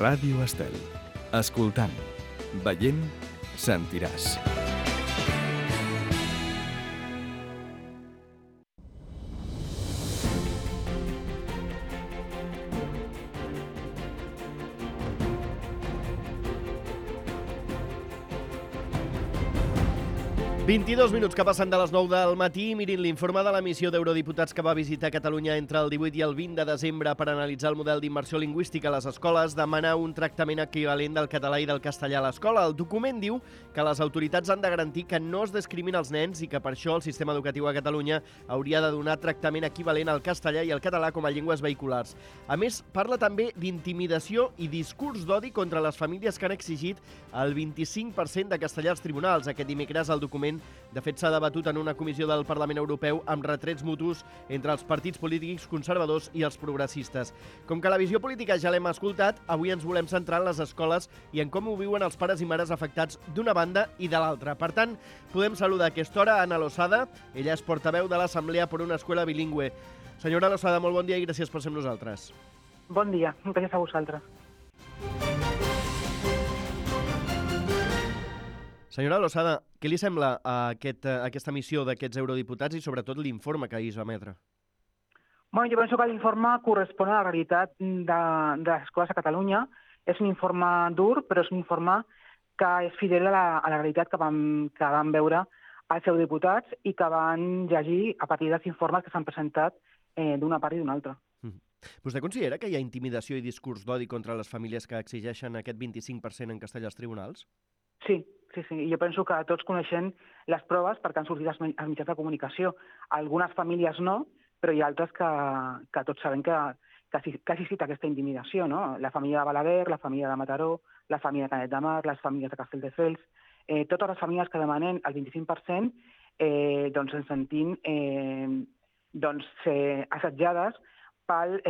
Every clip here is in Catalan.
Ràdio Estel. Escoltant, veient, sentiràs. ...22 minuts que passen de les 9 del matí. Mirin l'informe de la missió d'eurodiputats que va visitar Catalunya entre el 18 i el 20 de desembre per analitzar el model d'immersió lingüística a les escoles, demana un tractament equivalent del català i del castellà a l'escola. El document diu que les autoritats han de garantir que no es discrimina els nens i que per això el sistema educatiu a Catalunya hauria de donar tractament equivalent al castellà i al català com a llengües vehiculars. A més, parla també d'intimidació i discurs d'odi contra les famílies que han exigit el 25% de castellà als tribunals. Aquest dimecres el document de fet, s'ha debatut en una comissió del Parlament Europeu amb retrets mutus entre els partits polítics conservadors i els progressistes. Com que la visió política ja l'hem escoltat, avui ens volem centrar en les escoles i en com ho viuen els pares i mares afectats d'una banda i de l'altra. Per tant, podem saludar a aquesta hora Ana Losada. Ella és portaveu de l'Assemblea per una Escuela Bilingüe. Senyora Losada, molt bon dia i gràcies per ser amb nosaltres. Bon dia, gràcies a vosaltres. Senyora Losada, què li sembla aquesta missió d'aquests eurodiputats i sobretot l'informe que ahir es va emetre? Jo penso que l'informe correspon a la realitat de les escoles a Catalunya. És un informe dur, però és un informe que és fidel a la realitat que van veure els eurodiputats i que van llegir a partir dels informes que s'han presentat d'una part i d'una altra. Vostè considera que hi ha intimidació i discurs d'odi contra les famílies que exigeixen aquest 25% en castellà als tribunals? Sí. I jo penso que tots coneixem les proves perquè han sortit als mitjans de comunicació. Algunes famílies no, però hi ha altres que tots sabem que ha existit aquesta intimidació, no? La família de Balaguer, la família de Mataró, la família de Canet de Mar, les famílies de Castelldefels... Totes les famílies que demanen el 25% ens sentim assetjades per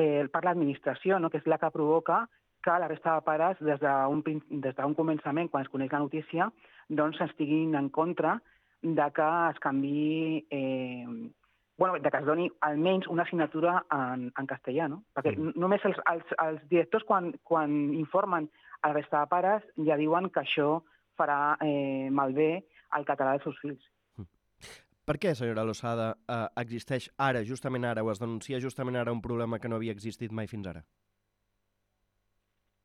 l'administració, no? Que és la que provoca que la resta de pares, des d'un començament, quan es coneix la notícia, estiguin en contra de que es canviï, de que es doni almenys una assignatura en castellà, no? Perquè només els directors, quan informen a la resta de pares, ja diuen que això farà malbé el català dels seus fills. Per què, senyora Losada, existeix ara, justament ara, o es denuncia justament ara un problema que no havia existit mai fins ara?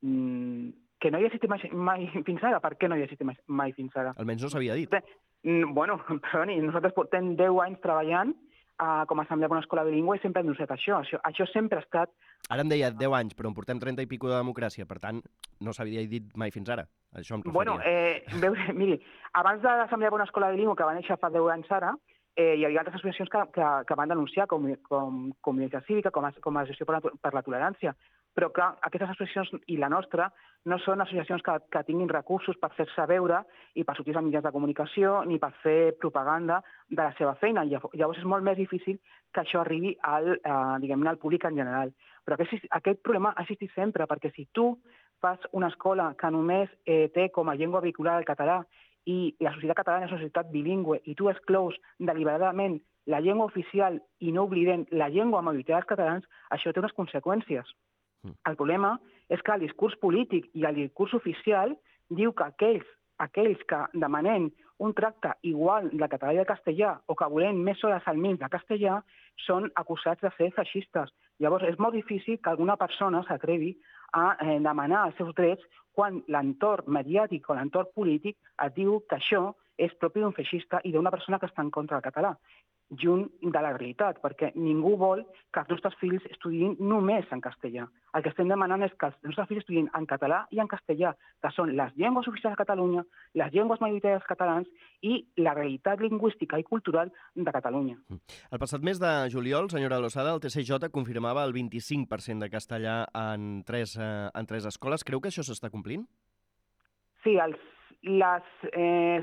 Que no hi ha existit mai fins ara? Per què no hi ha existit mai fins ara? Almenys no s'havia dit. Perdoni, nosaltres portem 10 anys treballant com a Assemblea per una Escola Bilingüe i sempre hem denunciat això. Això sempre ha estat... Ara em deia 10 anys, però en portem 30 i pico de democràcia, per tant, no s'havia dit mai fins ara. Això em referia. Miri, abans de l'Assemblea per una Escola Bilingüe, que va néixer fa 10 anys ara, hi havia altres associacions que van denunciar com Comunitat Cívica, com a Gestió per la Tolerància. Però, clar, aquestes associacions i la nostra no són associacions que tinguin recursos per fer-se veure i per sortir als mitjans de comunicació ni per fer propaganda de la seva feina. Llavors és molt més difícil que això arribi al públic en general. Però aquest problema ha existit sempre, perquè si tu fas una escola que només té com a llengua vehicular el català i la societat catalana és una societat bilingüe i tu exclous deliberadament la llengua oficial i no oblidem la llengua majoritària dels catalans, això té unes conseqüències. El problema és que el discurs polític i el discurs oficial diu que aquells que demanem un tracte igual del català i del castellà o que volem més hores al mig de castellà són acusats de ser feixistes. Llavors és molt difícil que alguna persona s'atrevi a demanar els seus drets quan l'entorn mediàtic o l'entorn polític et diu que això és propi d'un feixista i d'una persona que està en contra del català. Junt de la realitat, perquè ningú vol que els nostres fills estudiïn només en castellà. El que estem demanant és que els nostres fills estudiïn en català i en castellà, que són les llengües oficials de Catalunya, les llengües majoritàries dels catalans i la realitat lingüística i cultural de Catalunya. El passat mes de juliol, senyora Losada, el TCJ confirmava el 25% de castellà en tres escoles. Creu que això s'està complint? Sí, les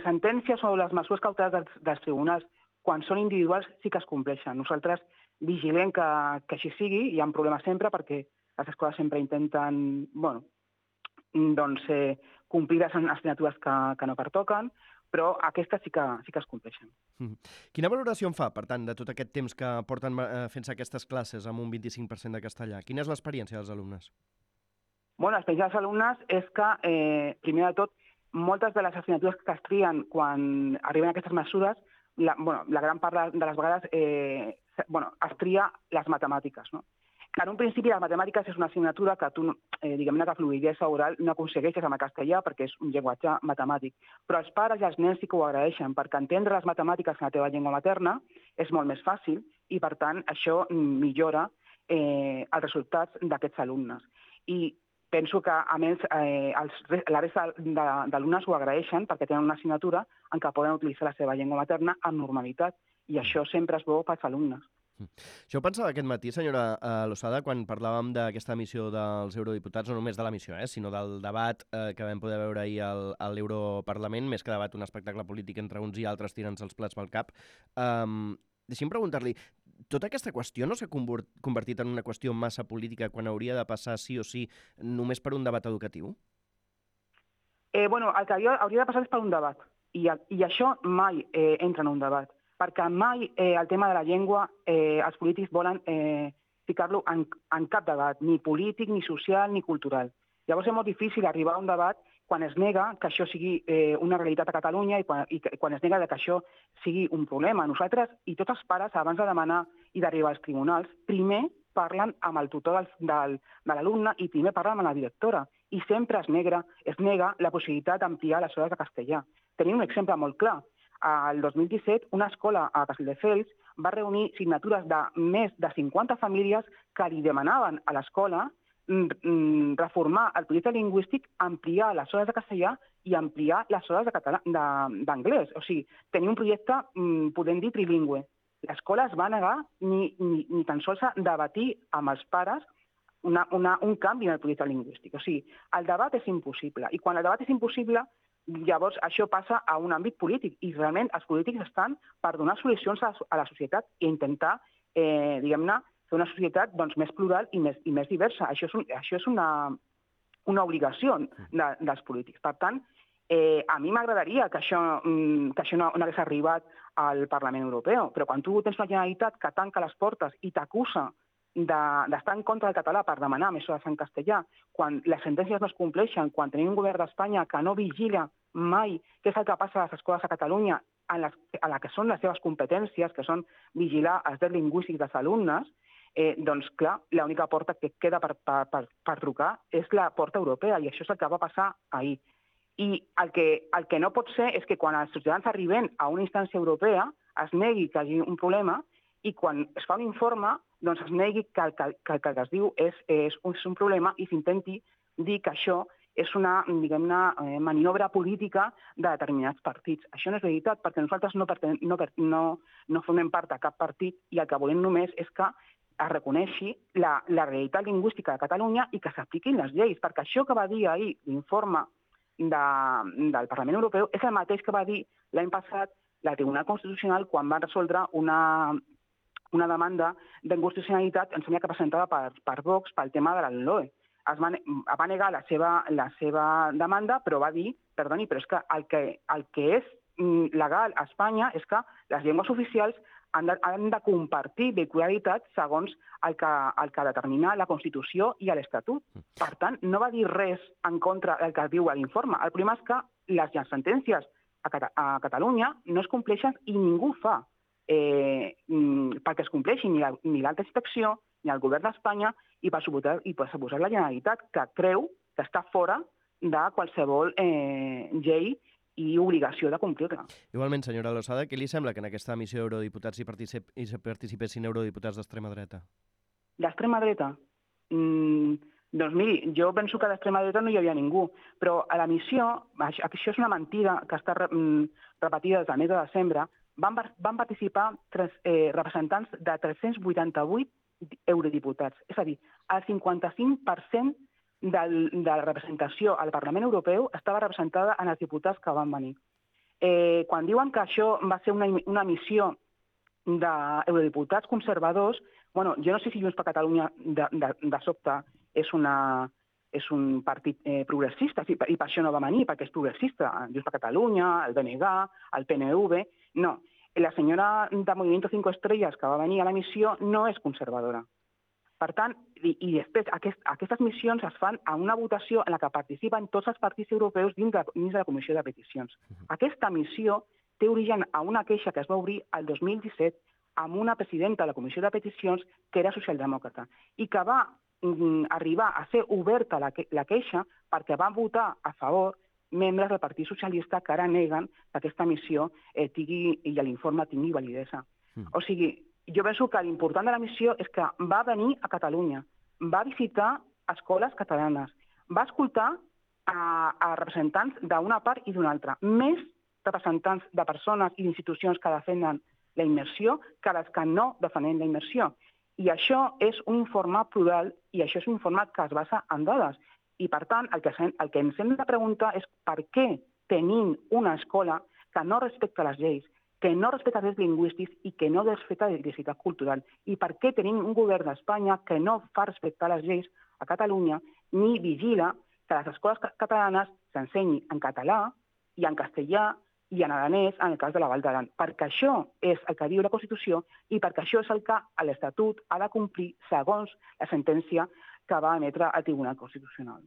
sentències o les mesures cautelars dels tribunals quan són individuals sí que es compleixen. Nosaltres vigilem que així sigui, hi ha problemes sempre perquè les escoles sempre intenten complir les assignatures que no pertoquen, però aquestes sí que es compleixen. Quina valoració en fa, per tant, de tot aquest temps que porten fent-se aquestes classes amb un 25% de castellà? Quina és l'experiència dels alumnes? Bueno, l'experiència dels alumnes és que, primer de tot, moltes de les assignatures que es trien quan arriben aquestes mesures, la gran part de les vegades es tria les matemàtiques, no? Que en un principi les matemàtiques és una assignatura que tu, diguem-ne que fluïdesa oral no aconsegueixes amb el castellà perquè és un llenguatge matemàtic. Però els pares i els nens sí que ho agraeixen, perquè entendre les matemàtiques en la teva llengua materna és molt més fàcil i, per tant, això millora els resultats d'aquests alumnes. I penso que, a més, la resta d'alumnes ho agraeixen perquè tenen una assignatura en què poden utilitzar la seva llengua materna amb normalitat i això sempre és bo pels alumnes. Això ho pensava aquest matí, senyora Losada, quan parlàvem d'aquesta missió dels eurodiputats, no només de la missió, sinó del debat que vam poder veure ahir a l'Europarlament, més que debat un espectacle polític entre uns i altres tirant-se els plats pel cap. Deixi'm preguntar-li, tota aquesta qüestió no s'ha convertit en una qüestió massa política quan hauria de passar sí o sí només per un debat educatiu? Bueno, el que hauria de passar és per un debat, i això mai entra en un debat, perquè mai el tema de la llengua els polítics volen ficar-lo en cap debat, ni polític, ni social, ni cultural. Llavors és molt difícil arribar a un debat quan es nega que això sigui una realitat a Catalunya i quan es nega que això sigui un problema. Nosaltres i tots els pares, abans de demanar i d'arribar als tribunals, primer parlen amb el tutor de l'alumne i primer parlen amb la directora. I sempre es nega la possibilitat d'ampliar les hores de castellà. Tenim un exemple molt clar. El 2017, una escola a Castelldefels va reunir signatures de més de 50 famílies que li demanaven a l'escola reformar el projecte lingüístic, ampliar les hores de castellà i ampliar les hores d'anglès. O sigui, tenir un projecte, podem dir, trilingüe. L'escola es va negar ni tan sols a debatir amb els pares un canvi en el projecte lingüístic. O sigui, el debat és impossible. I quan el debat és impossible, llavors això passa a un àmbit polític i realment els polítics estan per donar solucions a la societat i intentar, diguem-ne, fer una societat més plural i més diversa. Això és una obligació dels polítics. Per tant, a mi m'agradaria que això no hagués arribat al Parlament Europeu, però quan tu tens una Generalitat que tanca les portes i t'acusa d'estar en contra del català per demanar més hores en castellà, quan les sentències no es compleixen, quan tenim un govern d'Espanya que no vigila mai què és el que passa a les escoles a Catalunya, a la que són les seves competències, que són vigilar els drets lingüístics dels alumnes, doncs, clar, l'única porta que queda per trucar és la porta europea, i això és el que va passar ahir. I el que no pot ser és que quan els ciutadans arriben a una instància europea es negui que hi hagi un problema i quan es fa un informe doncs es negui que el que es diu és un problema i s'intenti dir que això és una, diguem-ne, maniobra política de determinats partits. Això no és veritat, perquè nosaltres no formem part de cap partit i el que volem només és que es reconeixi la realitat lingüística de Catalunya i que s'apliquin les lleis, perquè això que va dir ahir l'informe del Parlament Europeu és el mateix que va dir l'any passat el Tribunal Constitucional quan va resoldre una demanda d'inconstitucionalitat, em sembla que presentada per Vox pel tema de la LOE. Va negar la seva demanda, però va dir, perdoni, però és que el que és legal a Espanya és que les llengües oficials han de compartir vehicularitat segons el que determina la Constitució i l'Estatut. Per tant, no va dir res en contra del que diu l'informe. El problema és que les sentències a Catalunya no es compleixen i ningú ho fa perquè es compleixi ni l'alta inspecció, ni el govern d'Espanya i per suposar la Generalitat, que creu que està fora de qualsevol llei i obligació de complir-la. Igualment, senyora Losada, què li sembla que en aquesta missió d'eurodiputats hi participessin eurodiputats d'extrema dreta? D'extrema dreta? Doncs miri, jo penso que d'extrema dreta no hi havia ningú, però a la missió, això és una mentida que està repetida des del mes de desembre, van participar representants de 388 eurodiputats. És a dir, el 55% de la representació al Parlament Europeu estava representada en els diputats que van venir. Quan diuen que això va ser una missió d'eurodiputats conservadors, bueno, jo no sé si Junts per Catalunya de sobte és un partit progressista, i per això no va venir, perquè és progressista. Junts per Catalunya, el BNG, el PNV... No, la senyora de Movimiento 5 Estrellas que va venir a la missió no és conservadora. Per tant, i després aquestes missions es fan a una votació en la que participen tots els partits europeus dins de la Comissió de Peticions. Aquesta missió té origen a una queixa que es va obrir el 2017 amb una presidenta de la Comissió de Peticions que era socialdemòcrata i que va arribar a ser oberta la queixa perquè van votar a favor membres del Partit Socialista que ara neguen que aquesta missió i l'informe tingui validesa. O sigui, jo penso que l'important de la missió és que va venir a Catalunya, va visitar escoles catalanes, va escoltar a representants d'una part i d'una altra, més representants de persones i institucions que defenen la immersió que les que no defenen la immersió. I això és un informe plural i això és un informe que es basa en dades. I, per tant, el que ens hem de preguntar és per què tenim una escola que no respecta les lleis, que no respecta els drets lingüístics i que no respecta la diversitat cultural. I per què tenim un govern d'Espanya que no fa respectar les lleis a Catalunya ni vigila que les escoles catalanes s'ensenyi en català i en castellà i en aranès en el cas de la Vall d'Aran. Perquè això és el que diu la Constitució i perquè això és el que l'Estatut ha de complir segons la sentència que va emetre el Tribunal Constitucional.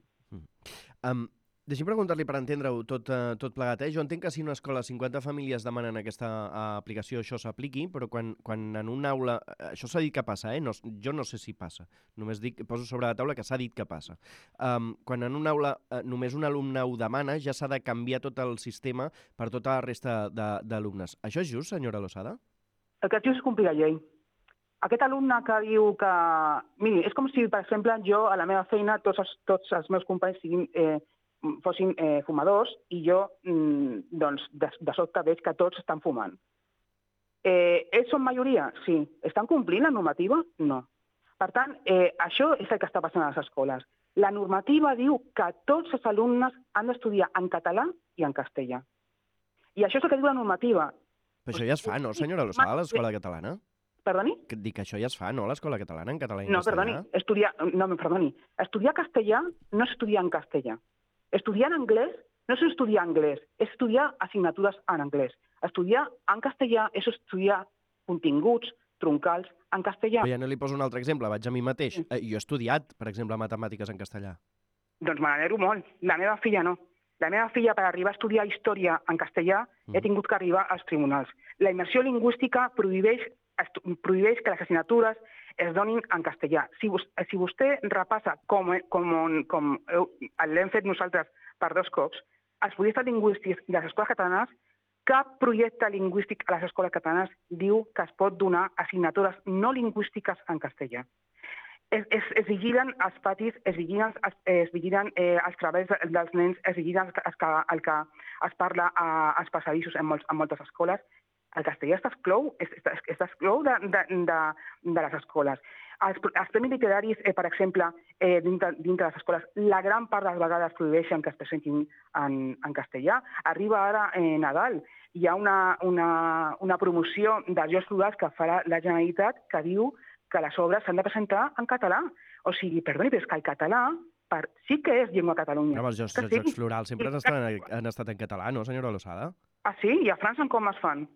Deixi'm preguntar-li per entendre-ho tot plegat. Jo entenc que si una escola 50 famílies demanen aquesta aplicació, això s'apliqui, però quan en una aula... Això s'ha dit que passa, jo no sé si passa. Només poso sobre la taula que s'ha dit que passa. Quan en una aula només un alumne ho demana, ja s'ha de canviar tot el sistema per tota la resta d'alumnes. Això és just, senyora Losada? El que es diu és complir la llei. Aquest alumne que diu que... Miri, és com si, per exemple, jo a la meva feina tots els meus companys fossin fumadors i jo doncs, de sobte veig que tots estan fumant. Ells són majoria? Sí. Estan complint la normativa? No. Per tant, això és el que està passant a les escoles. La normativa diu que tots els alumnes han d'estudiar en català i en castellà. I això és el que diu la normativa. Però això ja es fa, no, senyora Losada, a l'escola catalana? Perdoni? Dic que això ja es fa, no, a l'escola catalana, en català i en castellà? Perdoni. Estudiar castellà no és estudiar en castellà. Estudiar en anglès no és estudiar anglès, és estudiar assignatures en anglès. Estudiar en castellà és estudiar continguts troncals en castellà. Però ja no li poso un altre exemple, vaig a mi mateix. Jo he estudiat, per exemple, matemàtiques en castellà. Doncs me n'alegro molt. La meva filla no. La meva filla, per arribar a estudiar història en castellà, he tingut que arribar als tribunals. La immersió lingüística prohibeix que les assignatures es donin en castellà. Si vostè repassa com l'hem fet nosaltres per 2 cops, els projectes lingüístics de les escoles catalanes, cap projecte lingüístic a les escoles catalanes diu que es pot donar assignatures no lingüístiques en castellà. Es vigilen els patis, es vigilen els treballs dels nens, es vigilen el que es parla als passadissos en moltes escoles. El castellà s'exclou de les escoles. Els premis literaris, per exemple, dintre de les escoles, la gran part de les vegades prohibeixen que es presentin en castellà. Arriba ara Nadal. Hi ha una promoció dels Jocs Florals que farà la Generalitat que diu que les obres s'han de presentar en català. O sigui, perdoni, però és que el català sí que és llengua a Catalunya. Però els Jocs Florals sempre han estat en català, no, senyora Losada? Ah, sí? I a França com es fan?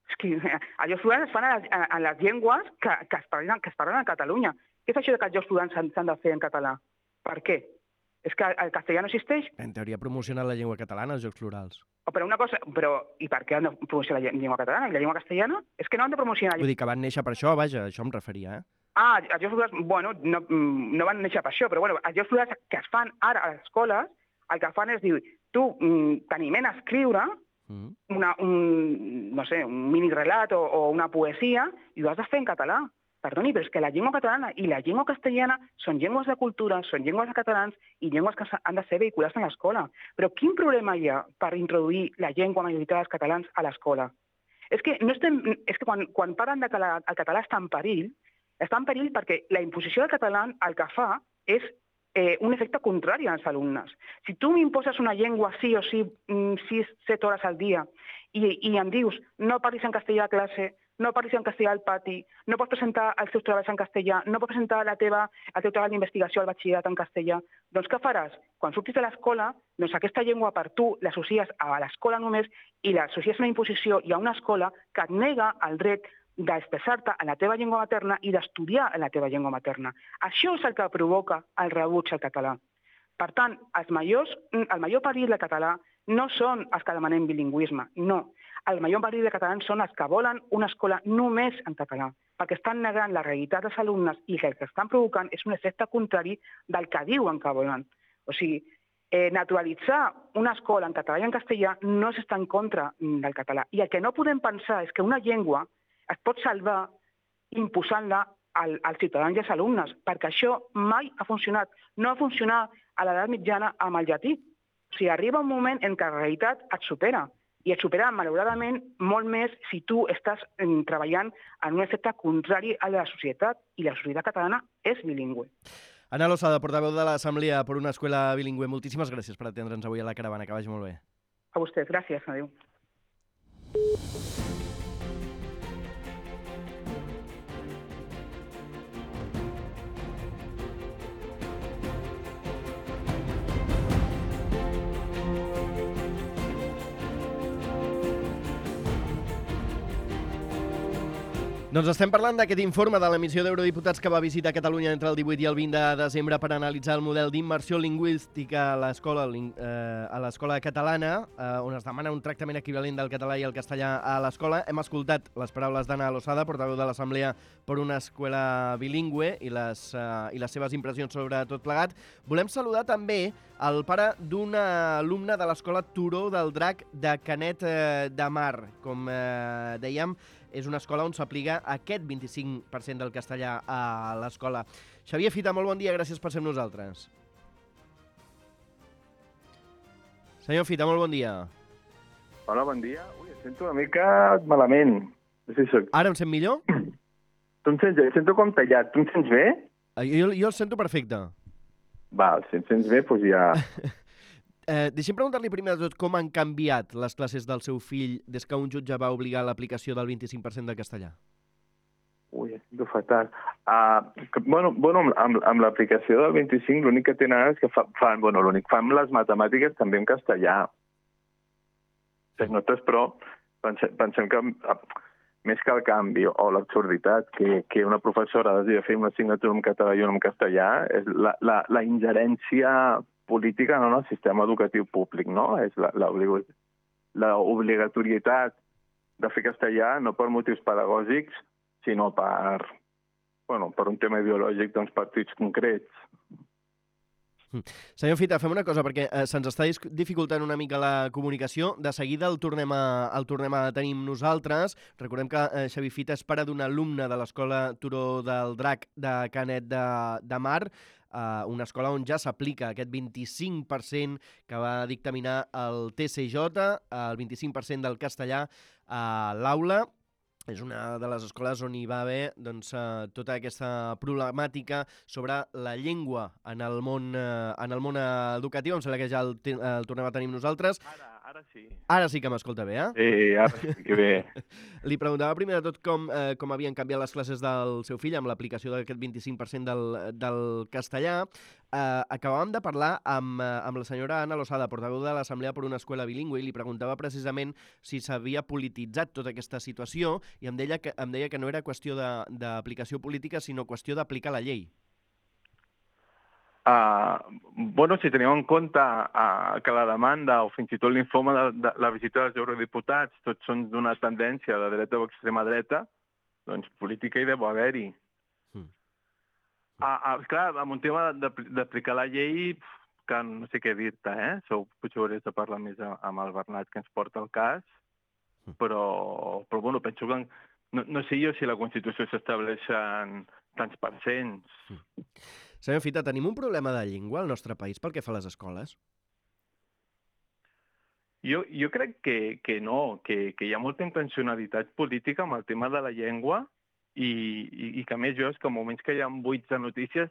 És que els Jocs Florals es fan en les llengües que es parlen a Catalunya. Què és això que els Jocs Florals s'han de fer en català? Per què? És que el castellà no existeix? En teoria ha promocionat la llengua catalana, els Jocs Florals. I per què han de promocionar la llengua catalana i la llengua castellana? És que no han de promocionar... Vull dir que van néixer per això, vaja, això em referia, eh? Els Jocs Florals, bueno, no van néixer per això, però bueno, els Jocs Florals que es fan ara a les escoles, el que fan és dir, tu t'animen a escriure un mini-relat o una poesia i ho has de fer en català. Perdoni, però és que la llengua catalana i la llengua castellana són llengües de cultura, són llengües de catalans i llengües que han de ser vehiculades en l'escola. Però quin problema hi ha per introduir la llengua majoritària dels catalans a l'escola? És que quan parlen que el català està en perill perquè la imposició del català el que fa és un efecte contrari als alumnes. Si tu m'imposes una llengua sí o sí 6-7 hores al dia i em dius no parlis en castellà a classe, no parlis en castellà al pati, no pots presentar els teus treballs en castellà, no pots presentar el teu treball d'investigació al batxillerat en castellà, doncs què faràs? Quan surtis de l'escola, doncs aquesta llengua per tu l'associes a l'escola només i l'associes a una imposició i a una escola que et nega el dret d'expressar-te en la teva llengua materna i d'estudiar en la teva llengua materna. Això és el que provoca el rebuig al català. Per tant, el major perill del català no són els que demanem bilingüisme, no. El major perill de catalans són els que volen una escola només en català, perquè estan negant la realitat dels alumnes i el que estan provocant és un efecte contrari del que diuen que volen. O sigui, naturalitzar una escola en català i en castellà no és estar en contra del català. I el que no podem pensar és que una llengua es pot salvar imposant-la als ciutadans i als alumnes, perquè això mai ha funcionat. No va funcionar a l'edat mitjana amb el llatí. O sigui, arriba un moment en què la realitat et supera, i et supera, malauradament, molt més si tu estàs treballant en un efecte contrari a la societat, i la societat catalana és bilingüe. Ana Losada, portaveu de l'Assemblea per una escuela bilingüe, moltíssimes gràcies per atendre'ns avui a la caravana, que vagi molt bé. A vostès, gràcies, adéu. Doncs estem parlant d'aquest informe de la missió d'eurodiputats que va visitar Catalunya entre el 18 i el 20 de desembre per analitzar el model d'immersió lingüística a l'escola catalana, on es demana un tractament equivalent del català i el castellà a l'escola. Hem escoltat les paraules d'Ana Losada, portaveu de l'Assemblea per una escuela bilingüe, i les seves impressions sobre tot plegat. Volem saludar també el pare d'un alumne de l'escola Turó del Drac de Canet de Mar. Com dèiem, és una escola on s'aplica aquest 25% del castellà a l'escola. Xavier Fita, molt bon dia, gràcies per ser amb nosaltres. Senyor Fita, molt bon dia. Hola, bon dia. Ui, em sento una mica malament. No sé si soc... Ara em sent millor? Tu em sents bé? Em sento com tallat. Tu em sents bé? Jo el sento perfecte. Val, si em sents bé, doncs ja... Deixem preguntar-li primer de tot com han canviat les classes del seu fill des que un jutge va obligar l'aplicació del 25% de castellà. Ui, em sento fatal. Amb l'aplicació del 25 l'únic que tenen és que fan les matemàtiques també en castellà. Les notes, però, pensem que més que el canvi o l'absurditat que una professora hagi de fer una assignatura en català i una en castellà és la ingerència política en el sistema educatiu públic, no? És l'obligatorietat de fer castellà no per motius pedagògics, sinó per un tema ideològic d'uns partits concrets. Senyor Fita, fem una cosa, perquè se'ns està dificultant una mica la comunicació. De seguida el tornem a tenir amb nosaltres. Recordem que Xavier Fita és pare d'un alumne de l'escola Turó del Drac de Canet de Mar, una escola on ja s'aplica aquest 25% que va dictaminar el TCJ, el 25% del castellà a l'aula. És una de les escoles on hi va haver tota aquesta problemàtica sobre la llengua en el món educatiu. Em sembla que ja el tornem a tenir amb nosaltres. Ara sí. Ara sí que m'escolta bé, eh? Sí, ara sí que bé. Li preguntava primer de tot com havien canviat les classes del seu fill amb l'aplicació d'aquest 25% del castellà. Acabàvem de parlar amb la senyora Ana Losada, portaveu de l'Assemblea per una escuela bilingüe, i li preguntava precisament si s'havia polititzat tota aquesta situació, i em deia que no era qüestió d'aplicació política, sinó qüestió d'aplicar la llei. Si tenim en compte que la demanda o fins i tot l'informe de la visita dels eurodiputats tots són d'una tendència de dreta o extrema dreta, doncs política hi deu haver-hi. Clar, amb un tema d'aplicar la llei, que no sé què dir-te, potser hauries de parlar més amb el Bernat, que ens porta el cas, però penso que no sé jo si la Constitució s'estableixen tants percents. Senyor Fita, tenim un problema de llengua al nostre país pel que fa a les escoles? Jo crec que no, que hi ha molta intencionalitat política amb el tema de la llengua i que a més jo és que en moments que hi ha buits de notícies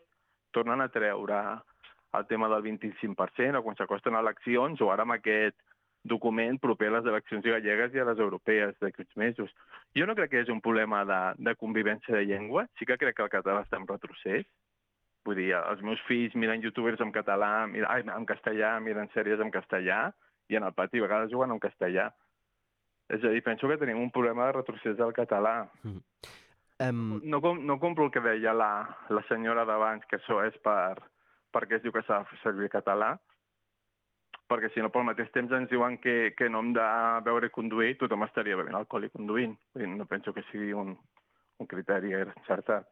tornen a treure el tema del 25% o quan s'acosten eleccions o ara amb aquest document proper a les eleccions gallegues i a les europees d'aquests mesos. Jo no crec que és un problema de convivència de llengua, sí que crec que el català està en retrocés. Vull dir, els meus fills miren youtubers en català, en castellà, miren sèries en castellà i en el pati a vegades juguen en castellà. És a dir, penso que tenim un problema de retrocés del català. No compro el que deia la senyora d'abans, que això és perquè es diu que s'ha de fer servir català, perquè si no, pel mateix temps ens diuen que no hem de beure i conduir, tothom estaria bevent alcohol i conduint. No penso que sigui un criteri encertat.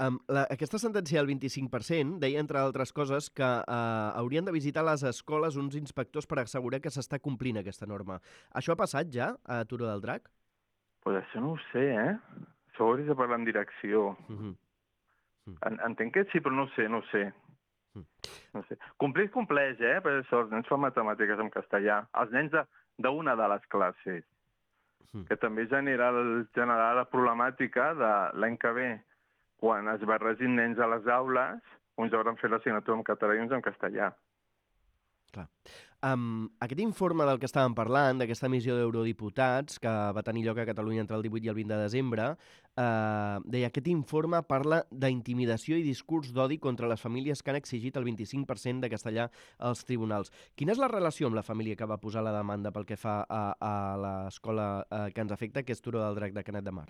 Aquesta sentència del 25% deia, entre altres coses, que haurien de visitar les escoles uns inspectors per assegurar que s'està complint aquesta norma. Això ha passat ja a Turó del Drac? Pues això no ho sé, Això ho hauries de parlar en direcció. Entenc que sí, però no ho sé. No sé. Complir compleix, per això els nens fan matemàtiques en castellà. Els nens d'una de les classes, que també generarà la problemàtica de l'any que ve, quan es barregin nens a les aules, uns hauran fet l'assignatura en català i uns en castellà. Clar. Aquest informe del que estàvem parlant, d'aquesta missió d'eurodiputats que va tenir lloc a Catalunya entre el 18 i el 20 de desembre, deia, aquest informe parla d'intimidació i discurs d'odi contra les famílies que han exigit el 25% de castellà als tribunals. Quina és la relació amb la família que va posar la demanda pel que fa a l'escola que ens afecta, que és Turó del Drac de Canet de Mar?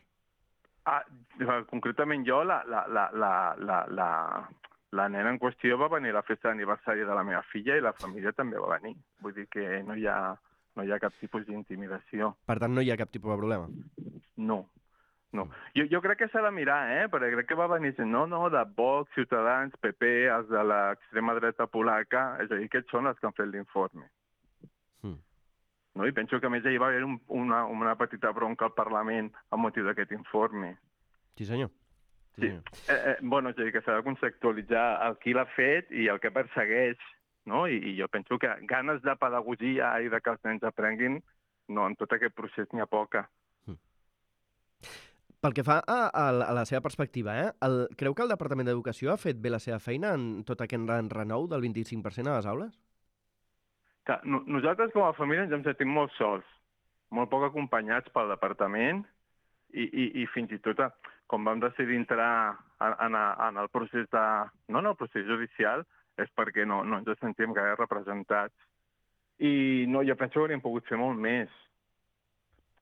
Concretament jo, la nena en qüestió va venir a la festa d'aniversari de la meva filla i la família també va venir. Vull dir que no hi ha cap tipus d'intimidació. Per tant, no hi ha cap tipus de problema? No. Jo crec que s'ha de mirar, perquè crec que va venir gent, no, de Vox, Ciutadans, PP, els de l'extrema dreta polaca, és a dir, aquests són els que han fet l'informe. No? I penso que a més hi va haver una petita bronca al Parlament amb motiu d'aquest informe. Sí, senyor. Sí. És a dir, que s'ha de conceptualitzar el qui l'ha fet i el que persegueix, no? I jo penso que ganes de pedagogia i de que els nens aprenguin, no, en tot aquest procés n'hi ha poca. Pel que fa a la seva perspectiva, creu que el Departament d'Educació ha fet bé la seva feina en tot aquest renou del 25% a les aules? Nosaltres com a família ens hem sentit molt sols, molt poc acompanyats pel departament i fins i tot quan vam decidir entrar en el procés no en el procés judicial és perquè no ens sentíem gaire representats. I no, jo penso que hauríem pogut fer molt més.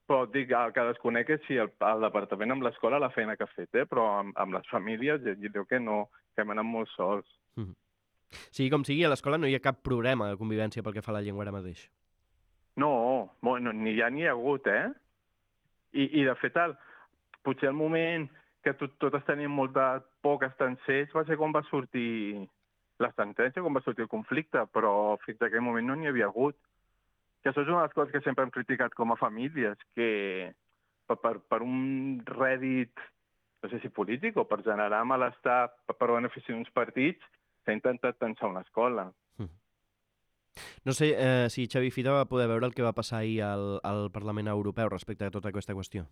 Però dic, el que desconec és si el departament amb l'escola la feina que ha fet, però amb les famílies jo dic que no, que hem anat molt sols. Sigui com sigui, a l'escola no hi ha cap problema de convivència pel que fa a la llengua ara mateix. No, ni hi ha ni hi ha hagut, I de fet, potser el moment que totes teníem molta por que estancés va ser quan va sortir la sentència, quan va sortir el conflicte, però fins a aquell moment no n'hi havia hagut. Que això és una de les coses que sempre hem criticat com a famílies, que per un rèdit, no sé si polític o per generar malestar per benefici d'uns partits, s'ha intentat tensar una escola. No sé si Xavi Fita va poder veure el que va passar ahir al Parlament Europeu respecte a tota aquesta qüestió.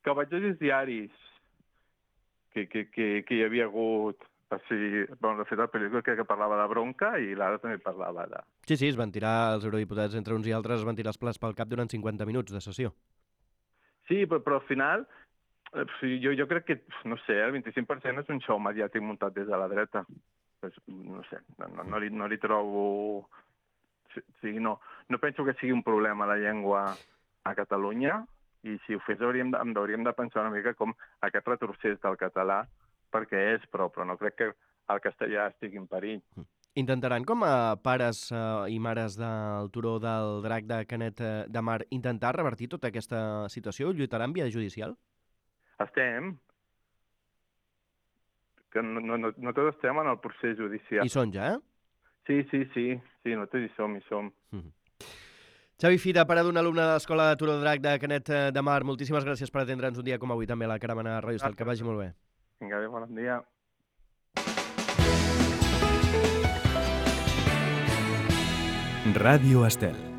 Que vaig llegir els diaris que hi havia hagut. De fet, el periòdic que parlava de bronca i l'ara també parlava de... Sí, es van tirar, els eurodiputats entre uns i altres, es van tirar els plats pel cap durant 50 minuts de sessió. Sí, però al final, jo crec que, no sé, el 25% és un show mediàtic muntat des de la dreta. No sé, no li trobo... No penso que sigui un problema la llengua a Catalunya i si ho fes hauríem de pensar una mica com aquest retrocés del català perquè és, però no crec que el castellà estigui en perill. Intentaran, com a pares i mares del Turó del Drac de Canet de Mar, intentar revertir tota aquesta situació? Lluitaran via judicial? Estem. Que no tots estem en el procés judicial. Hi són ja, Sí, nosaltres hi som. Xavi Fita, pare d'un alumne de l'Escola de Turó del Drac de Canet de Mar, moltíssimes gràcies per atendre'ns un dia com avui també a la Caravana de Ràdio Estel. Que vagi molt bé. Vinga, bon dia. Ràdio Estel.